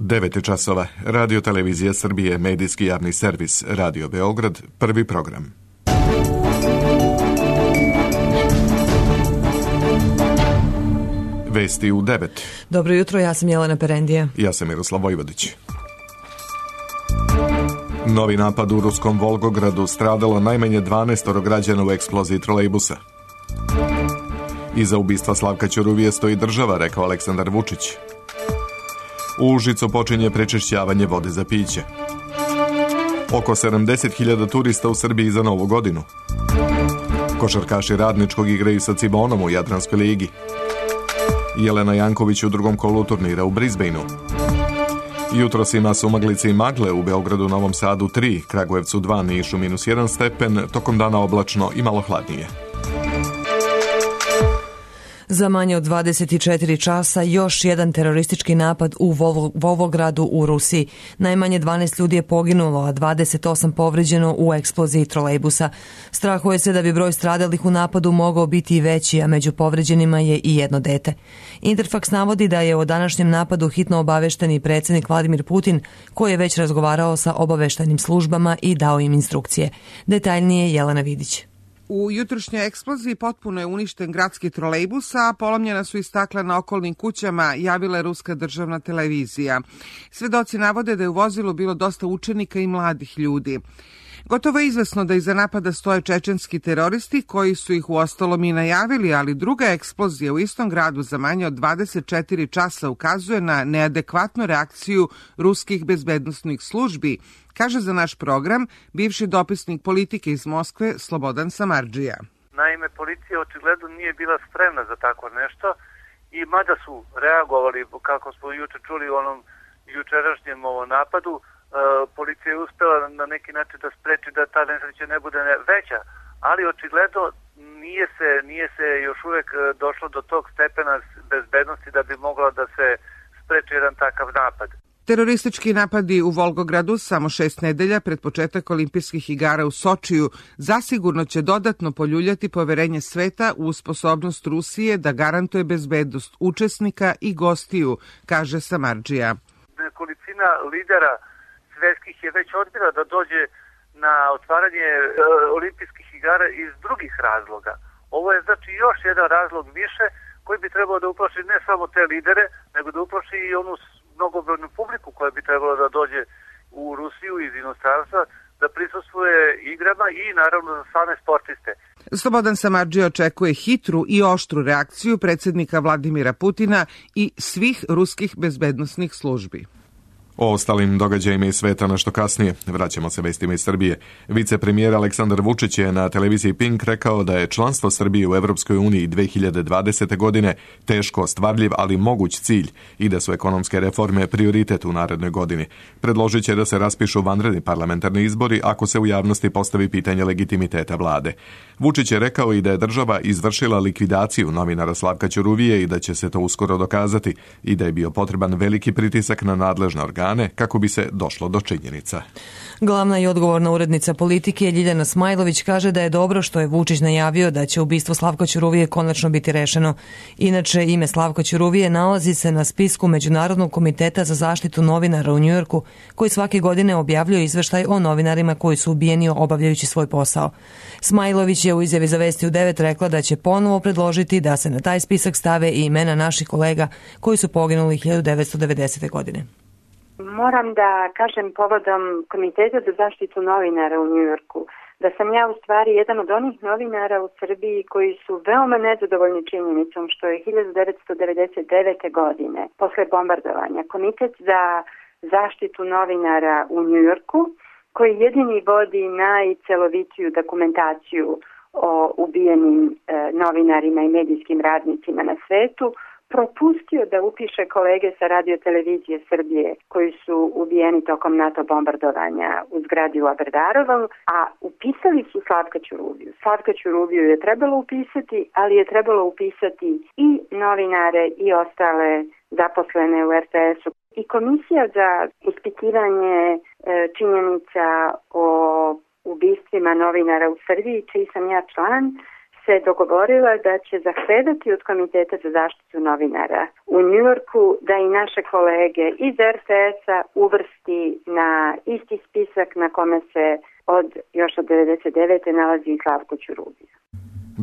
9 časova. Radio Televizija Srbije, medijski javni servis, Radio Beograd, prvi program. Vesti u 9. Dobro jutro, ja sam Jelena Perendija. Ja sam Miroslav Vojvodić. Novi napad u ruskom Volgogradu, stradalo najmanje 12 građana u eksploziji trolejbusa. Iza ubistva Slavka Ćuruvije stoji država, rekao Aleksandar Vučić. U Užicu počinje prečišćavanje vode za piće. Oko 70.000 turista u Srbiji za Novu godinu. Košarkaši Radničkog igraju sa Cibonom u Jadranskoj ligi. Jelena Janković u drugom kolu turnira u Brisbaneu. Jutros ima sumaglice i magle, u Beogradu, Novom Sadu 3, Kragujevcu 2, Nišu -1 stepen, tokom dana oblačno i malo hladnije. Za manje od 24 časa još jedan teroristički napad u Volgogradu u Rusiji. Najmanje 12 ljudi je poginulo, a 28 povređeno u eksploziji trolejbusa. Strahuje se da bi broj stradalih u napadu mogao biti i veći, a među povređenima je i jedno dete. Interfaks navodi da je o današnjem napadu hitno obavešten i predsjednik Vladimir Putin, koji je već razgovarao sa obaveštajnim službama i dao im instrukcije. Detaljnije Jelena Vidić. U jutrošnjoj eksploziji potpuno je uništen gradski trolejbus, a polomljena su i stakla na okolnim kućama, javila je ruska državna televizija. Svedoci navode da je u vozilu bilo dosta učenika i mladih ljudi. Gotovo je izvesno da iza napada stoje čečenski teroristi koji su ih uostalom i najavili, ali druga eksplozija u istom gradu za manje od 24 časa ukazuje na neadekvatnu reakciju ruskih bezbednosnih službi, kaže za naš program bivši dopisnik politike iz Moskve Slobodan Samardžija. Naime, policija očigledno nije bila spremna za tako nešto i mada su reagovali, kako smo juče čuli u onom jučerašnjem napadu, policija je uspela na neki način da spreči da ta nesreća ne bude veća, ali očigledno nije se još uvek došlo do tog stepena bezbednosti da bi mogla da se spreči jedan takav napad. Teroristički napadi u Volgogradu samo 6 nedelja pred početak olimpijskih igara u Sočiju zasigurno će dodatno poljuljati poverenje sveta u sposobnost Rusije da garantuje bezbednost učesnika i gostiju, kaže Samardžija. Nekolicina lidera svetskih je već odbila da dođe na otvaranje olimpijskih igara iz drugih razloga. Ovo je znači još jedan razlog više koji bi trebalo da uplaši ne samo te lidere, nego da uplaši i onu mnogobrojnu publiku koja bi trebalo da dođe u Rusiju iz inostranstva, da prisustvuje igrama i naravno za same sportiste. Slobodan Samardžija očekuje hitru i oštru reakciju predsjednika Vladimira Putina i svih ruskih bezbednosnih službi. O ostalim događajima iz sveta nešto kasnije. Vraćamo se vestima iz Srbije. Vicepremijer Aleksandar Vučić je na televiziji Pink rekao da je članstvo Srbije u Evropskoj uniji 2020. godine teško ostvarljiv, ali moguć cilj i da su ekonomske reforme prioritet u narednoj godini. Predložit će da se raspišu vanredni parlamentarni izbori ako se u javnosti postavi pitanje legitimiteta vlade. Vučić je rekao i da je država izvršila likvidaciju novinara Slavka Ćuruvije i da će se to uskoro dokazati i da je bio potreban veliki pritisak na nadležne organe kako bi se došlo do činjenica. Glavna i odgovorna urednica politike Ljiljana Smajlović kaže da je dobro što je Vučić najavio da će ubistvo Slavka Ćuruvije konačno biti rešeno. Inače, ime Slavka Ćuruvije nalazi se na spisku Međunarodnog komiteta za zaštitu novinara u Njujorku, koji svake godine objavljuje izveštaj o novinarima koji su ubijeni obavljajući svoj posao. Smajlović je u izjavi za Vesti u 9 rekla da će ponovo predložiti da se na taj spisak stave i imena naših kolega koji su poginuli 1990. godine. Moram da kažem povodom Komiteta za zaštitu novinara u Njujorku da sam ja u stvari jedan od onih novinara u Srbiji koji su veoma nezadovoljni činjenicom što je 1999. godine posle bombardovanja Komitet za zaštitu novinara u Njujorku, koji jedini vodi najcelovitiju dokumentaciju o ubijenim novinarima i medijskim radnicima na svetu, propustio da upiše kolege sa Radio Televizije Srbije koji su ubijeni tokom NATO bombardovanja u zgradi u Aberdarovom, a upisali su Slavka Ćuruviju. Slavka Ćuruviju je trebalo upisati, ali je trebalo upisati i novinare i ostale zaposlene u RTS-u. I Komisija za ispitivanje činjenica o ubistvima novinara u Srbiji, čiji sam ja član, se dogovorila da će zahtevati od Komiteta za zaštitu novinara u Njujorku da i naše kolege iz RTS-a uvrsti na isti spisak na kome se još od 99. nalazi i Slavko Ćuruvija.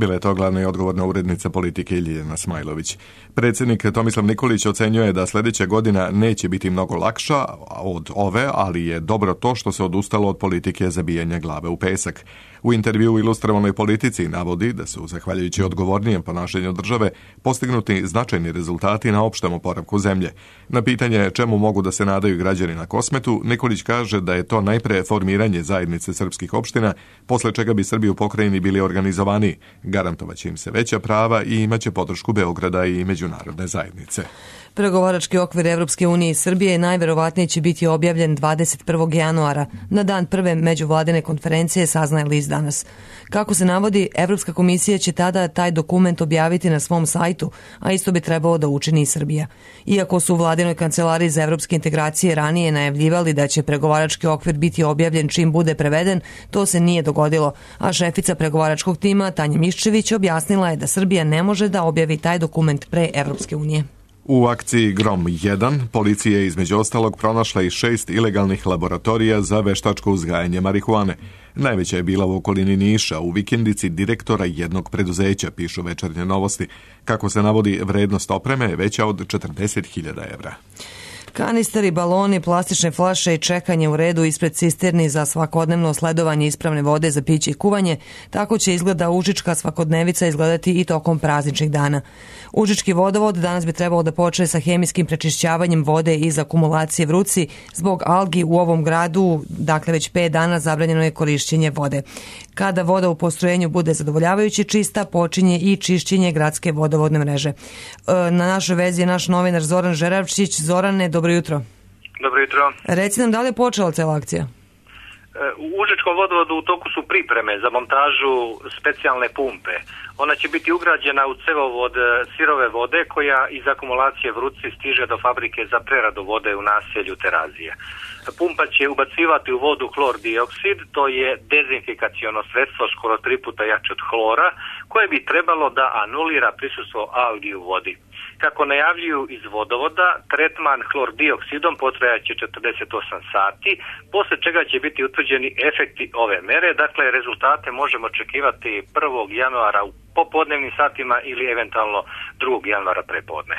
Bila je to glavna i odgovorna urednica politike Ljiljana Smajlović. Predsjednik Tomislav Nikolić ocenjuje da sljedeća godina neće biti mnogo lakša od ove, ali je dobro to što se odustalo od politike zabijanja glave u pesak. U intervju u Ilustrovanoj politici navodi da su, zahvaljujući odgovornijem ponašanju države, postignuti značajni rezultati na opštem oporavku zemlje. Na pitanje čemu mogu da se nadaju građani na Kosmetu, Nikolić kaže da je to najpre formiranje zajednice srpskih opština, posle čega bi Srbi u pokrajini bili organizovaniji. Garantovaće im se veća prava i imaće podršku Beograda i međunarodne zajednice. Pregovarački okvir Evropske unije i Srbije najverovatnije će biti objavljen 21. januara, na dan prve međuvladine konferencije, saznaje list Danas. Kako se navodi, Evropska komisija će tada taj dokument objaviti na svom sajtu, a isto bi trebalo da učini i Srbija. Iako su u vladinoj kancelariji za evropske integracije ranije najavljivali da će pregovarački okvir biti objavljen čim bude preveden, to se nije dogodilo, a šefica pregovaračkog tima Tanja Miščević objasnila je da Srbija ne može da objavi taj dokument pre Evropske unije. U akciji Grom 1 policija je između ostalog pronašla i 6 ilegalnih laboratorija za veštačko uzgajanje marihuane. Najveća je bila u okolini Niša, u vikendici direktora jednog preduzeća, pišu Večernje novosti. Kako se navodi, vrednost opreme je veća od 40.000 evra. Kanisteri, baloni, plastične flaše i čekanje u redu ispred cisterni za svakodnevno sledovanje ispravne vode za piće i kuvanje, tako će izgleda užička svakodnevica izgledati i tokom prazničnih dana. Užički vodovod danas bi trebalo da počne sa hemijskim prečišćavanjem vode iz akumulacije Vruci. Zbog algi u ovom gradu, dakle već 5 dana zabranjeno je korišćenje vode. Kada voda u postrojenju bude zadovoljavajući čista, počinje i čišćenje gradske vodovodne mreže. Na našoj vezi je naš novinar Zoran Žeravčić. Zorane, dobro jutro. Dobro jutro. Reci nam, da li je počela cela akcija? U Užičkom vodovodu u toku su pripreme za montažu specijalne pumpe. Ona će biti ugrađena u cevovod sirove vode koja iz akumulacije Vruci stiže do fabrike za preradu vode u naselju Terazije. Pumpa će ubacivati u vodu hlor dioksid, to je dezinfikaciono sredstvo skoro 3 puta jače od hlora, koje bi trebalo da anulira prisustvo algi u vodi. Kako najavljuju iz vodovoda, tretman hlor dioksidom potrajaće 48 sati, posle čega će biti utvrđeni efekti ove mere, dakle rezultate možemo očekivati 1. januara u popodnevnim satima ili eventualno 2. januara prepodne.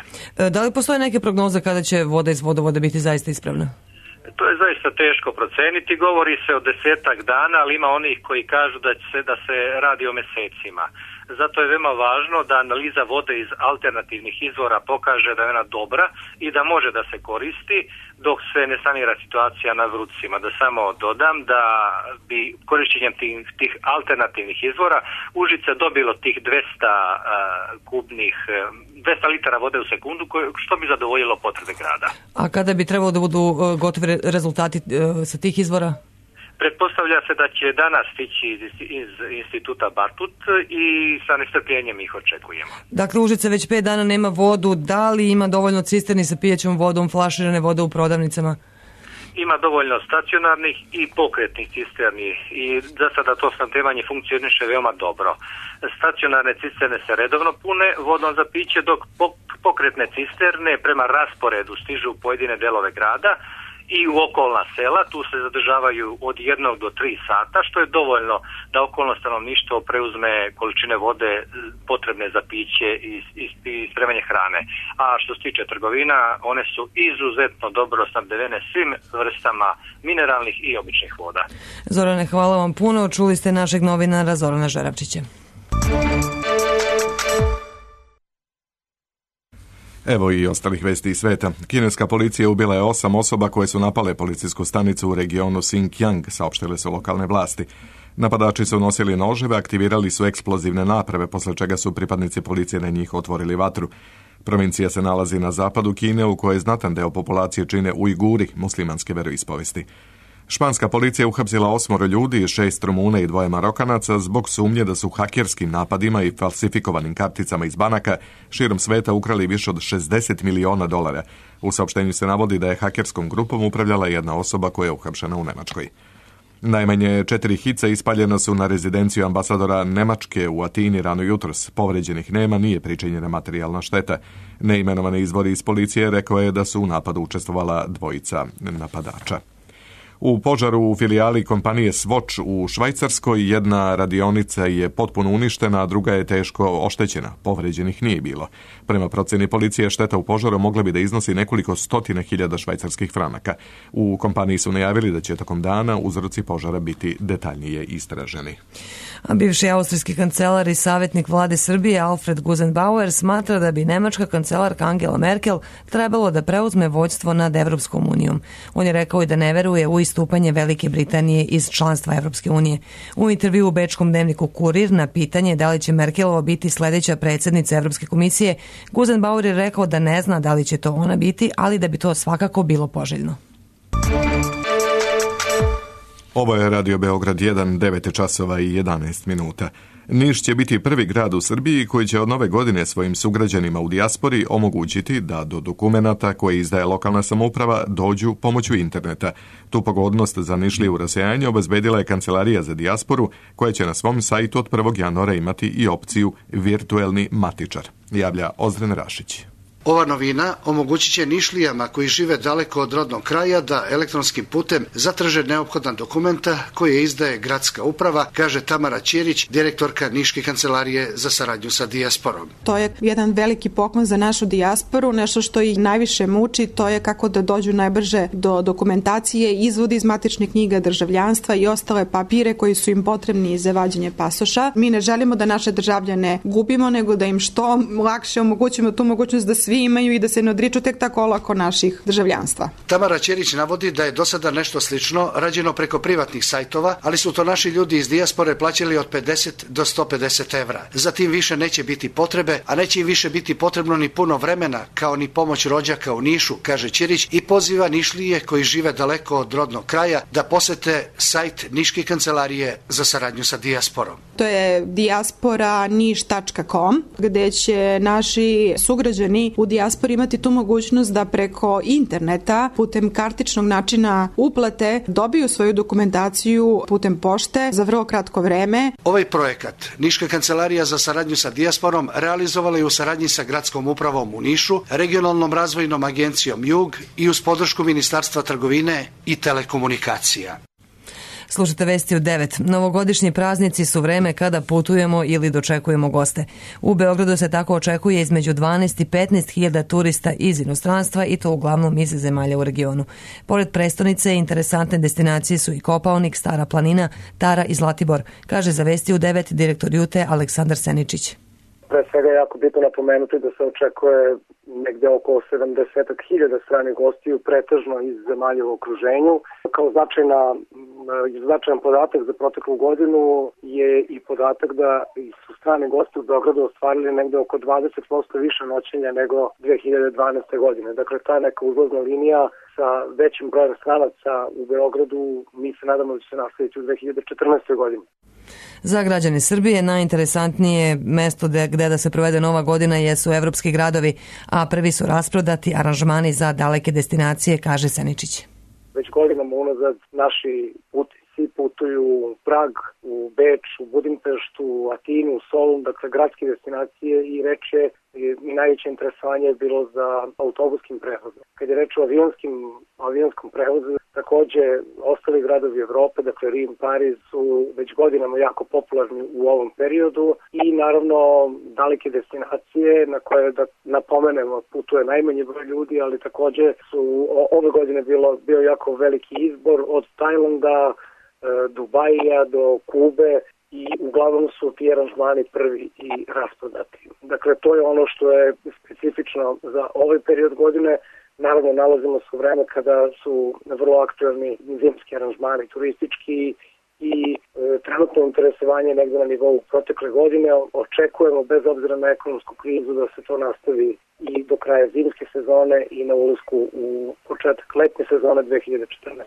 Da li postoje neke prognoze kada će voda iz vodovoda biti zaista ispravna? To je zaista teško proceniti, govori se o 10 dana, ali ima onih koji kažu da se radi o mesecima. Zato je veoma važno da analiza vode iz alternativnih izvora pokaže da je ona dobra i da može da se koristi dok se ne sanira situacija na Vrucima. Da samo dodam da bi korišćenjem tih alternativnih izvora Užice dobilo tih 200 litara vode u sekundu, što bi zadovoljilo potrebe grada. A kada bi trebalo da budu gotovi rezultati sa tih izvora? Pretpostavlja se da će danas stići iz instituta Bartut i sa nestrpljenjem ih očekujemo. Dakle, Užice već 5 dana nema vodu. Da li ima dovoljno cisterni sa pijećom vodom, flaširane vode u prodavnicama? Ima dovoljno stacionarnih i pokretnih cisterni i za sada to snabdevanje funkcioniše veoma dobro. Stacionarne cisterne se redovno pune vodom za piće, dok pokretne cisterne prema rasporedu stižu u pojedine delove grada i u okolna sela. Tu se zadržavaju od 1 do 3 sata, što je dovoljno da okolno stanovništvo preuzme količine vode potrebne za piće i spremanje hrane. A što se tiče trgovina, one su izuzetno dobro snabdevene svim vrstama mineralnih i običnih voda. Zorane, hvala vam puno. Čuli ste našeg novinara Zorana Žeravčića. Evo i ostalih vesti iz sveta. Kineska policija ubila je 8 osoba koje su napale policijsku stanicu u regionu Xinjiang, saopštile su lokalne vlasti. Napadači su nosili noževe, aktivirali su eksplozivne naprave, posle čega su pripadnici policije na njih otvorili vatru. Provincija se nalazi na zapadu Kine, u kojoj znatan deo populacije čine Ujguri, muslimanske veroispovesti. Španska policija uhapsila 8 ljudi, 6 Rumuna i 2 Marokanaca zbog sumnje da su hakerskim napadima i falsifikovanim karticama iz banaka širom sveta ukrali više od $60 miliona. U saopštenju se navodi da je hakerskom grupom upravljala jedna osoba koja je uhapšena u Nemačkoj. Najmanje 4 hica ispaljena su na rezidenciju ambasadora Nemačke u Atini rano jutros. Povređenih nema, nije pričinjena materijalna šteta. Neimenovani izvori iz policije rekao je da su u napadu učestvovala dvojica napadača. U požaru u filijali kompanije Swatch u Švajcarskoj jedna radionica je potpuno uništena, a druga je teško oštećena. Povređenih nije bilo. Prema proceni policije, šteta u požaru mogla bi da iznosi nekoliko stotina hiljada švajcarskih franaka. U kompaniji su najavili da će tokom dana uzroci požara biti detaljnije istraženi. A bivši austrijski kancelar i savjetnik vlade Srbije Alfred Gusenbauer smatra da bi nemačka kancelarka Angela Merkel trebalo da preuzme vođstvo nad Evropskom unijom. On je rekao i da ne veruje u istupanje Velike Britanije iz članstva Evropske unije. U intervju u bečkom dnevniku Kurir na pitanje da li će Merkelova biti sljedeća predsjednica Evropske komisije, Gusenbauer je rekao da ne zna da li će to ona biti, ali da bi to svakako bilo poželjno. Ovo je Radio Beograd 1, 9 časova i 11 minuta. Niš će biti prvi grad u Srbiji koji će od nove godine svojim sugrađanima u dijaspori omogućiti da do dokumenata koje izdaje lokalna samouprava dođu pomoću interneta. Tu pogodnost za Nišliju rasejanje obezbedila je Kancelarija za dijasporu, koja će na svom sajtu od 1. januara imati i opciju virtuelni matičar, javlja Ozren Rašić. Ova novina omogućit će Nišlijama koji žive daleko od rodnog kraja da elektronskim putem zatraže neophodna dokumenta koje izdaje gradska uprava, kaže Tamara Ćirić, direktorka Niške kancelarije za saradnju sa dijasporom. To je jedan veliki poklon za našu dijasporu, nešto što ih najviše muči, to je kako da dođu najbrže do dokumentacije, izvodi iz matičnih knjiga državljanstva i ostale papire koji su im potrebni za vađenje pasoša. Mi ne želimo da naše državljane gubimo, nego da im što lakše omogućimo tu mogućnost da svi imaju i da se ne odriču tek tako olako naših državljanstva. Tamara Ćerić navodi da je do sada nešto slično rađeno preko privatnih sajtova, ali su to naši ljudi iz dijaspore plaćali od 50 do 150 evra. Zatim više neće biti potrebe, a neće im više biti potrebno ni puno vremena, kao ni pomoć rođaka u Nišu, kaže Ćirić, i poziva Nišlije koji žive daleko od rodnog kraja da posete sajt Niške kancelarije za saradnju sa dijasporom. To je diasporaniš.com, gde će naši sugrađani u dijaspori imati tu mogućnost da preko interneta, putem kartičnog načina uplate, dobiju svoju dokumentaciju putem pošte za vrlo kratko vreme. Ovaj projekat Niška kancelarija za saradnju sa dijasporom realizovala je u saradnji sa gradskom upravom u Nišu, regionalnom razvojnom agencijom Jug i uz podršku Ministarstva trgovine i telekomunikacija. Slušajte vesti u 9. Novogodišnji praznici su vreme kada putujemo ili dočekujemo goste. U Beogradu se tako očekuje između 12 i 15 hiljada turista iz inostranstva i to uglavnom iz zemalja u regionu. Pored prestonice, interesantne destinacije su i Kopaonik, Stara planina, Tara i Zlatibor, kaže za vesti u 9 direktor Jute Aleksandar Seničić. Pre svega je jako bitno napomenuti da se očekuje negde oko 70.000 stranih gostiju, pretežno iz zemalja u okruženju. Kao značajan podatak za proteklu godinu je i podatak da su strani gosti u Beogradu ostvarili negde oko 20% više noćenja nego 2012. godine. Dakle, ta neka uzlazna linija sa većim brojem stranaca u Beogradu, mi se nadamo da će se nastaviti u 2014. godini. Za građane Srbije najinteresantnije mesto gde da se provede nova godina jesu evropski gradovi, a prvi su rasprodati aranžmani za daleke destinacije, kaže Seničić. Već godinama unazad naši putnici putuju u Prag, u Beč, u Budimpeštu, u Atinu, u Solun, dakle gradske destinacije, i reč je i najveće interesovanje je bilo za autobuskim prevozom. Kad je reč o avionskom prevozu, takođe ostali gradovi Evrope, dakle Rim, Pariz, su već godinama jako popularni u ovom periodu i naravno daleke destinacije na koje, da napomenemo, putuje najmanji broj ljudi, ali takođe su ove godine bio jako veliki izbor od Tajlanda, Dubaija do Kube, i uglavnom su ti aranžmani prvi i rasprodati. Dakle, to je ono što je specifično za ovaj period godine. Naravno, nalazimo se u vreme kada su vrlo aktuelni zimski aranžmani turistički i trenutno interesovanje negde na nivou protekle godine. Očekujemo, bez obzira na ekonomsku krizu, da se to nastavi i do kraja zimske sezone i na ulasku u početak letnje sezone 2014.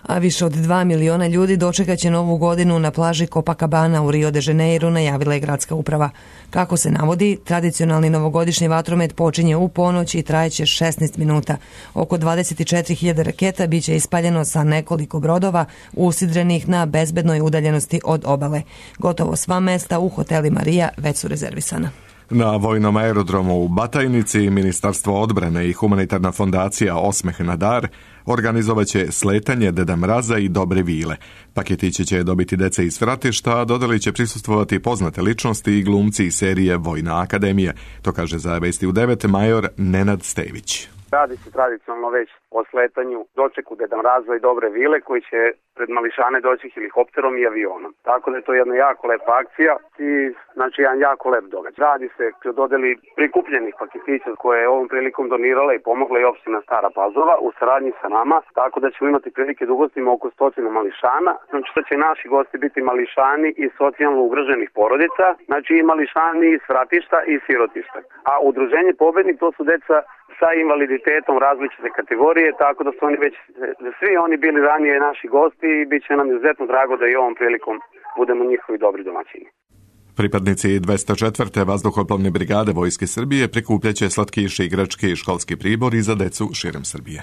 A više od 2 miliona ljudi dočekaće novu godinu na plaži Copacabana u Rio de Janeiro, najavila je gradska uprava. Kako se navodi, tradicionalni novogodišnji vatromet počinje u ponoć i trajeće 16 minuta. Oko 24.000 raketa biće ispaljeno sa nekoliko brodova usidrenih na bezbednoj udaljenosti od obale. Gotovo sva mesta u hotelima Ria već su rezervisana. Na vojnom aerodromu u Batajnici Ministarstvo odbrane i humanitarna fondacija Osmeh na dar organizovaće sletanje Deda Mraza i Dobre vile. Paketići će dobiti dece iz Fratišta, a dodali će prisustvovati poznate ličnosti i glumci iz serije Vojna akademija. To kaže za Vesti u 9 major Nenad Stević. Radi se tradicionalno već o sletanju, dočeku Deda Mraza i Dobre vile koji će pred mališane doći helikopterom i avionom. Tako da je to jedna jako lepa akcija i znači jedan jako lep događaj. Radi se o dodeli prikupljenih paketića koje je ovom prilikom donirala i pomogla i opština Stara Pazova u saradnji sa nama, tako da ćemo imati prilike da ugostimo oko 100 mališana. Znači da će naši gosti biti mališani iz socijalno ugroženih porodica, znači i mališani iz Fratišta i sirotišta. A udruženje Pobednik to su deca sa invaliditetom različite kategorije, tako da su oni već, svi oni bili ranije naši gosti i bit će nam izuzetno drago da i ovom prilikom budemo njihovi dobri domaćini. Pripadnici 204. vazduhoplovne brigade Vojske Srbije prikupljaće slatkiše, igračke i školski pribor i za decu širom Srbije.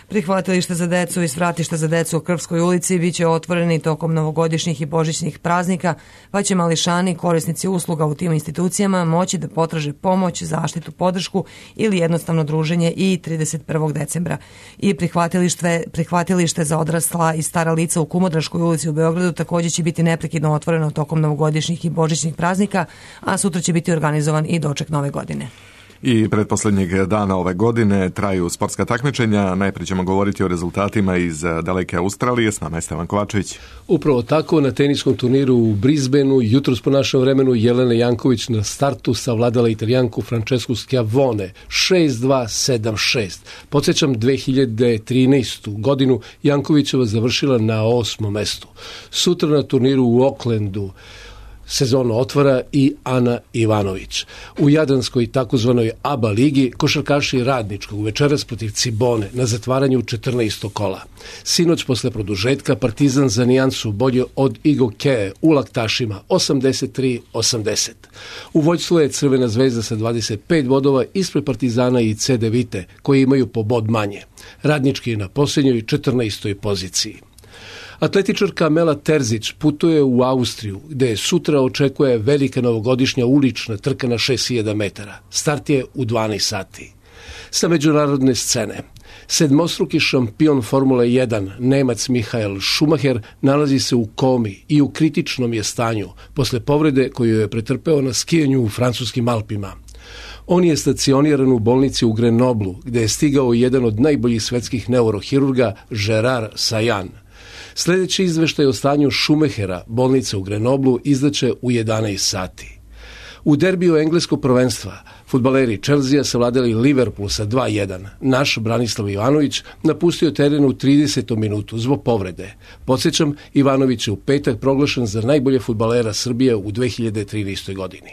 Prihvatilište za decu i svratište za decu u Krvskoj ulici biće otvoreni tokom novogodišnjih i božićnih praznika, pa će mališani, korisnici usluga u tim institucijama moći da potraže pomoć, zaštitu, podršku ili jednostavno druženje i 31. decembra. I prihvatilište za odrasla i stara lica u Kumodraškoj ulici u Beogradu također će biti neprekidno otvoreno tokom novogodišnjih i božićnih praznika, a sutra će biti organizovan i doček nove godine. I pretposlednjeg dana ove godine traju sportska takmičenja. Najprije ćemo govoriti o rezultatima iz daleke Australije. S nama je Stevan Kovačević. Upravo tako, na teniskom turniru u Brisbaneu, jutros po našem vremenu, Jelena Janković na startu savladala Italijanku Francesku Schiavone 6-2, 7-6. Podsjećam, 2013. godinu Jankovićeva završila na 8. mestu. Sutra na turniru u Aucklandu sezonu otvara i Ana Ivanović. U Jadranskoj takozvanoj ABA ligi košarkaši Radničkog večeras protiv Cibone na zatvaranju 14. kola. Sinoć posle produžetka Partizan za nijansu bolje od Igokeje u Laktašima 83-80. U vođstvu je Crvena zvezda sa 25 bodova ispred Partizana i CD Vite koji imaju po bod manje. Radnički je na posljednjoj 14. poziciji. Atletičarka Mela Terzić putuje u Austriju, gde sutra očekuje velika novogodišnja ulična trka na 6000 metara. Start je u 12 sati. Sa međunarodne scene, sedmostruki šampion Formule 1, Nemac Michael Schumacher, nalazi se u komi i u kritičnom je stanju posle povrede koju je pretrpeo na skijanju u francuskim Alpima. On je stacioniran u bolnici u Grenoblu, gde je stigao jedan od najboljih svetskih neurohirurga, Gerard Sayan. Sljedeći izveštaj o stanju Schumachera, bolnice u Grenoblu, izdaće u 11 sati. U derbiju engleskog prvenstva fudbaleri Chelsea savladali Liverpool sa 2-1. Naš Branislav Ivanović napustio teren u 30. minutu zbog povrede. Podsjećam, Ivanović je u petak proglašen za najbolje fudbalera Srbije u 2013. godini.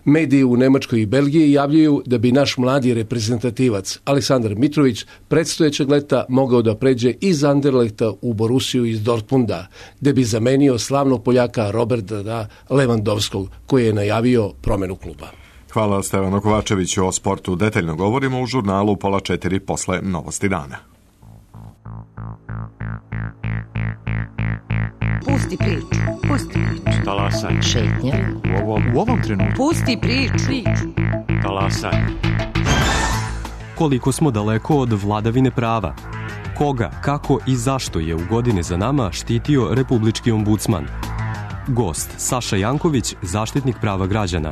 Mediji u Nemačkoj i Belgiji javljaju da bi naš mladi reprezentativac Aleksandar Mitrović predstojećeg leta mogao da pređe iz Anderlechta u Borussiju iz Dortmunda, gde bi zamenio slavnog Poljaka Roberta Lewandowskog, koji je najavio promenu kluba. Hvala Stevanu Kovačeviću. O sportu detaljno govorimo u žurnalu 3:30 posle Novosti dana. Pusti priču. Pusti priču. Talasaj. Šetnja. U ovom trenutku. Pusti priču. Talasaj. Koliko smo daleko od vladavine prava? Koga, kako i zašto je u godine za nama štitio republički ombudsman? Gost Saša Janković, zaštitnik prava građana.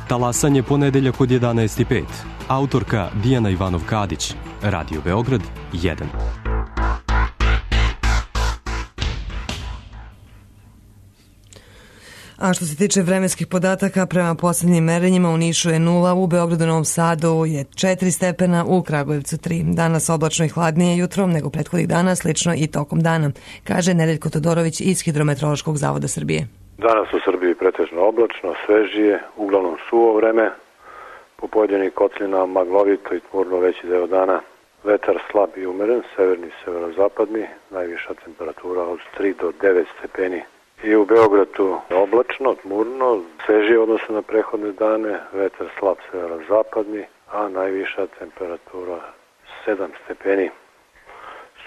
Talasanje ponedeljak od 11:05. Autorka Dijana Ivanov-Kadić. Radio Beograd 1. A što se tiče vremenskih podataka, prema posljednjim merenjima u Nišu je 0, u Beogradu, Novom Sadu je 4 stepena, u Kragujevcu 3. Danas oblačno i hladnije jutrom nego prethodnih dana, slično i tokom dana, kaže Nedeljko Todorović iz Hidrometeorološkog zavoda Srbije. Danas u Srbiji pretežno oblačno, svežije, uglavnom suvo vreme, po pojedinim kotlinama maglovito i tmurno veći deo dana, Vetar slab i umeren, severni i severozapadni, najviša temperatura od 3 do 9 stepeni. I u Beogradu oblačno, tmurno, svežije odnosno na prethodne dane, vetar slab severozapadni, a najviša temperatura 7 stepeni.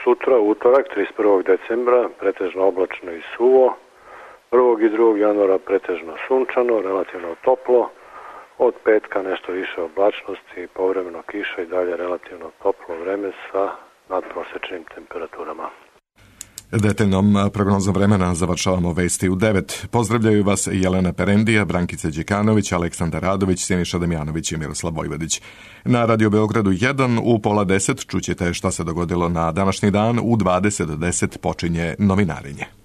Sutra, utorak, 31. decembra, pretežno oblačno i suvo, 1. i 2. januara pretežno sunčano, relativno toplo, od petka nešto više oblačnosti, povremeno kiša i dalje relativno toplo vreme sa nadprosečnim temperaturama. Detaljnom prognozom vremena završavamo vesti u 9. Pozdravljaju vas Jelena Perendija, Brankica Đekanović, Aleksandar Radović, Siniša Damjanović i Miroslav Vojvodić. Na Radio Beogradu 1 u 9:30 čućete šta se dogodilo na današnji dan. U 20:10 počinje novinarenje.